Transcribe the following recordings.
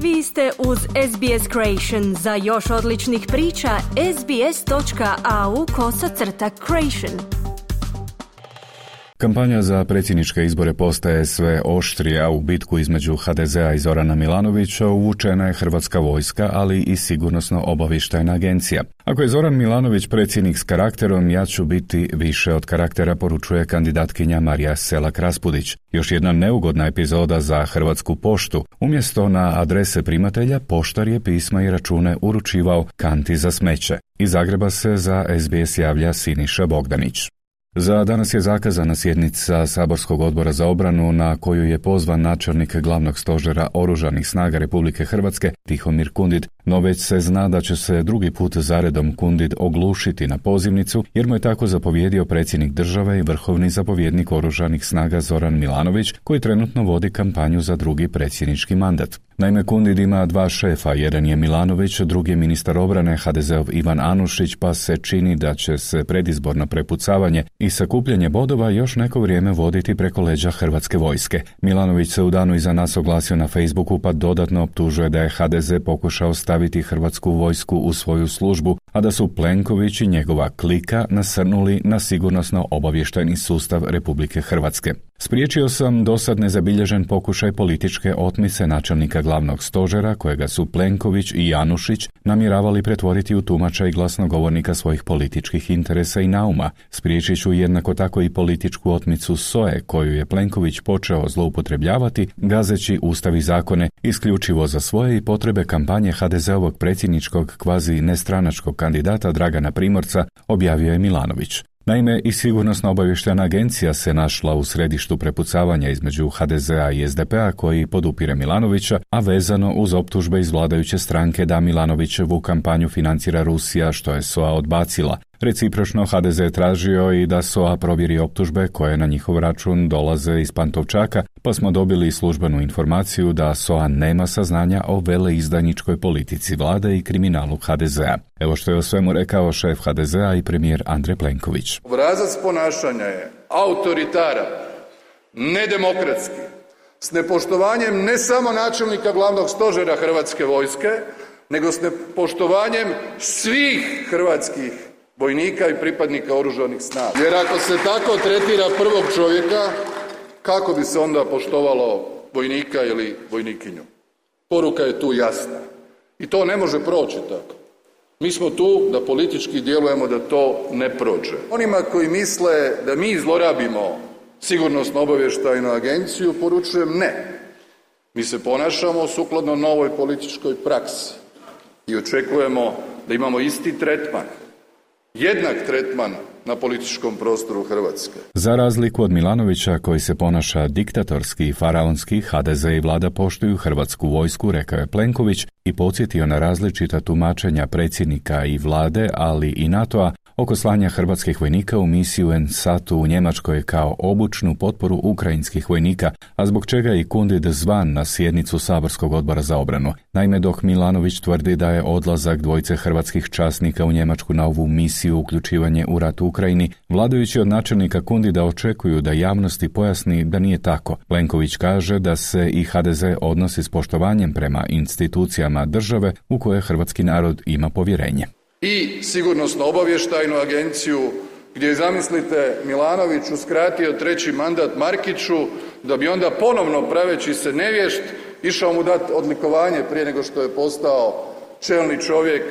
Vi ste uz SBS Creation. Za još odličnih priča, sbs.au/creation. Kampanja za predsjedničke izbore postaje sve oštrija. U bitku između HDZ-a i Zorana Milanovića uvučena je Hrvatska vojska, ali i sigurnosno-obavještajna agencija. Ako je Zoran Milanović predsjednik s karakterom, ja ću biti više od karaktera, poručuje kandidatkinja Marija Selak-Raspudić. Još jedna neugodna epizoda za Hrvatsku poštu. Umjesto na adrese primatelja, poštar je pisma i račune uručivao kanti za smeće. Iz Zagreba se za SBS javlja Siniša Bogdanić. Za danas je zakazana sjednica Saborskog odbora za obranu na koju je pozvan načelnik glavnog stožera Oružanih snaga Republike Hrvatske Tihomir Kundid, no već se zna da će se drugi put zaredom Kundid oglušiti na pozivnicu jer mu je tako zapovjedio predsjednik države i vrhovni zapovjednik Oružanih snaga Zoran Milanović, koji trenutno vodi kampanju za drugi predsjednički mandat. Naime, Kundid ima dva šefa, jedan je Milanović, drugi je ministar obrane HDZ-ov Ivan Anušić, pa se čini da će se predizborno prepucavanje i sakupljanje bodova još neko vrijeme voditi preko leđa Hrvatske vojske. Milanović se u danu iza nas oglasio na Facebooku pa dodatno optužuje da je HDZ pokušao staviti Hrvatsku vojsku u svoju službu, a da su Plenković i njegova klika nasrnuli na sigurnosno-obavještajni sustav Republike Hrvatske. Spriječio sam dosad nezabilježen pokušaj političke otmice načelnika glavnog stožera, kojega su Plenković i Anušić namjeravali pretvoriti u tumača i glasnogovornika svojih političkih interesa i nauma. Spriječit ću jednako tako i političku otmicu SOA-e, koju je Plenković počeo zloupotrebljavati, gazeći ustav i zakone isključivo za svoje i potrebe kampanje HDZ-ovog predsjedničkog kvazi nestranačkog kandidata Dragana Primorca, objavio je Milanović. Naime, i sigurnosno-obavještajna agencija se našla u središtu prepucavanja između HDZ-a i SDP-a koji podupire Milanovića, a vezano uz optužbe iz vladajuće stranke da Milanovićevu kampanju financira Rusija, što je SOA odbacila. Recipročno HDZ je tražio i da SOA provjeri optužbe koje na njihov račun dolaze iz Pantovčaka, pa smo dobili službenu informaciju da SOA nema saznanja o veleizdajničkoj politici vlade i kriminalu HDZ-a. Evo što je o svemu rekao šef HDZ-a i premijer Andrej Plenković. Obrazac ponašanja je autoritaran, nedemokratski, s nepoštovanjem ne samo načelnika glavnog stožera Hrvatske vojske, nego s nepoštovanjem svih hrvatskih vojnika i pripadnika Oružanih snaga. Jer ako se tako tretira prvog čovjeka, kako bi se onda poštovalo vojnika ili vojnikinju? Poruka je tu jasna. I to ne može proći tako. Mi smo tu da politički djelujemo da to ne prođe. Onima koji misle da mi zlorabimo sigurnosno-obavještajnu agenciju, poručujem ne. Mi se ponašamo sukladno novoj političkoj praksi i očekujemo da imamo isti tretman. Jednak tretman na političkom prostoru Hrvatske. Za razliku od Milanovića, koji se ponaša diktatorski i faraonski, HDZ i vlada poštuju Hrvatsku vojsku, rekao je Plenković i podsjetio na različita tumačenja predsjednika i vlade, ali i NATO-a, oko slanja hrvatskih vojnika u misiju NSAT-u u Njemačkoj kao obučnu potporu ukrajinskih vojnika, a zbog čega je i Kundid zvan na sjednicu Saborskog odbora za obranu. Naime, dok Milanović tvrdi da je odlazak dvojice hrvatskih časnika u Njemačku na ovu misiju uključivanje u rat u Ukrajini, vladajući od načelnika Kundida očekuju da javnosti pojasni da nije tako. Plenković kaže da se i HDZ odnosi s poštovanjem prema institucijama države u koje hrvatski narod ima povjerenje. I sigurnosno-obavještajnu agenciju gdje je, zamislite, Milanović uskratio treći mandat Markiću da bi onda ponovno, praveći se nevješt, išao mu dati odlikovanje prije nego što je postao čelni čovjek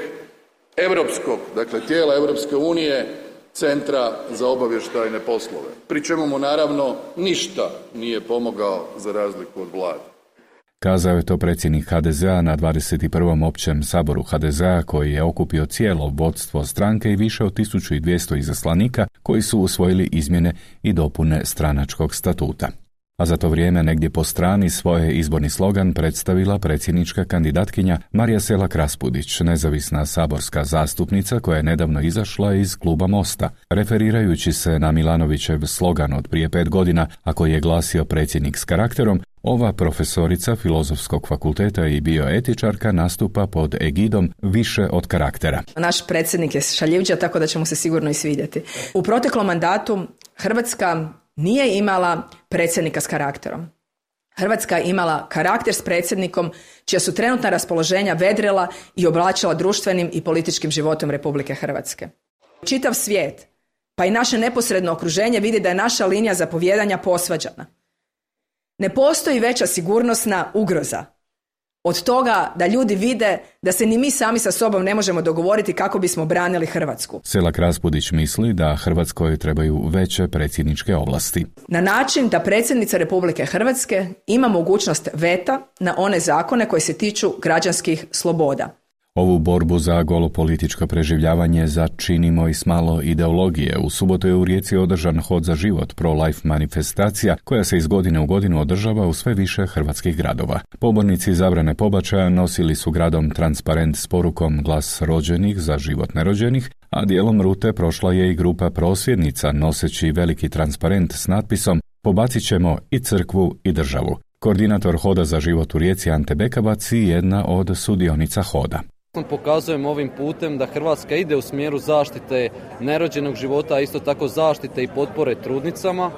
europskog, dakle tijela Europske unije, Centra za obavještajne poslove. Pri čemu mu naravno ništa nije pomogao za razliku od vlade. Kazao je to predsjednik HDZ-a na 21. općem saboru HDZ-a koji je okupio cijelo vodstvo stranke i više od 1200 izaslanika koji su usvojili izmjene i dopune stranačkog statuta. A za to vrijeme negdje po strani svoj izborni slogan predstavila predsjednička kandidatkinja Marija Selak-Raspudić, nezavisna saborska zastupnica koja je nedavno izašla iz kluba Mosta. Referirajući se na Milanovićev slogan od prije 5 godina, a koji je glasio predsjednik s karakterom, ova profesorica Filozofskog fakulteta i bioetičarka nastupa pod egidom više od karaktera. Naš predsjednik je šaljivđa, tako da će mu se sigurno i svidjeti. U proteklom mandatu Hrvatska nije imala predsjednika s karakterom. Hrvatska je imala karakter s predsjednikom čija su trenutna raspoloženja vedrila i oblačila društvenim i političkim životom Republike Hrvatske. Čitav svijet, pa i naše neposredno okruženje vidi da je naša linija zapovijedanja posvađana. Ne postoji veća sigurnosna ugroza od toga da ljudi vide da se ni mi sami sa sobom ne možemo dogovoriti kako bismo branili Hrvatsku. Selak Raspudić misli da Hrvatskoj trebaju veće predsjedničke ovlasti. Na način da predsjednica Republike Hrvatske ima mogućnost veta na one zakone koji se tiču građanskih sloboda. Ovu borbu za golopolitičko preživljavanje začinimo i s malo ideologije. U subotu je u Rijeci održan Hod za život, pro-life manifestacija koja se iz godine u godinu održava u sve više hrvatskih gradova. Pobornici zabrane pobačaja nosili su gradom transparent s porukom Glas rođenih za život nerođenih, a dijelom rute prošla je i grupa prosvjednica noseći veliki transparent s natpisom Pobacit ćemo i crkvu i državu. Koordinator Hoda za život u Rijeci Ante Bekavac i jedna od sudionica Hoda. Pokazujemo ovim putem da Hrvatska ide u smjeru zaštite nerođenog života, a isto tako zaštite i potpore trudnicama.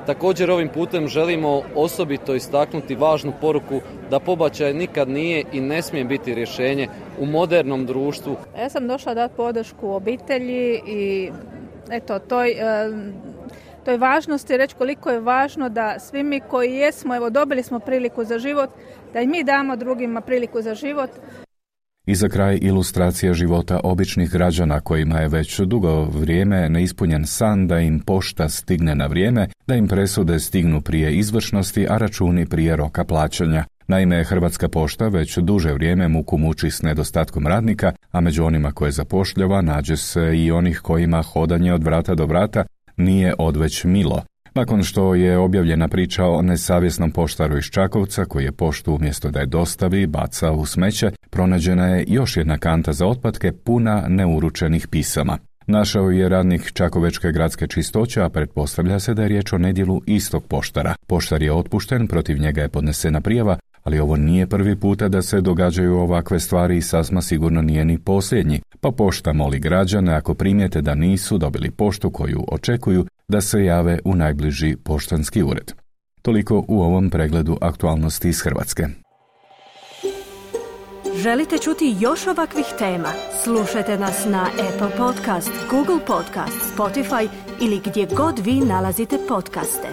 Također ovim putem želimo osobito istaknuti važnu poruku da pobačaj nikad nije i ne smije biti rješenje u modernom društvu. Ja sam došla dati podršku obitelji i toj važnosti reći koliko je važno da svi mi koji jesmo, dobili smo priliku za život, da i mi damo drugima priliku za život. I za kraj ilustracija života običnih građana kojima je već dugo vrijeme neispunjen san da im pošta stigne na vrijeme, da im presude stignu prije izvršnosti, a računi prije roka plaćanja. Naime, Hrvatska pošta već duže vrijeme muku muči s nedostatkom radnika, a među onima koje zapošljava nađe se i onih kojima hodanje od vrata do vrata nije odveć milo. Nakon što je objavljena priča o nesavjesnom poštaru iz Čakovca koji je poštu umjesto da je dostavi baca u smeće, pronađena je još jedna kanta za otpatke puna neuručenih pisama. Našao je radnik Čakovečke gradske čistoće, a pretpostavlja se da je riječ o nedjelu istog poštara. Poštar je otpušten, protiv njega je podnesena prijava, ali ovo nije prvi puta da se događaju ovakve stvari i sasma sigurno nije ni posljednji. Pa pošta moli građane ako primijete da nisu dobili poštu koju očekuju, da se jave u najbliži poštanski ured. Toliko u ovom pregledu aktualnosti iz Hrvatske. Želite čuti još ovakvih tema? Slušajte nas na Apple Podcast, Google Podcast, Spotify ili gdje god vi nalazite podcaste.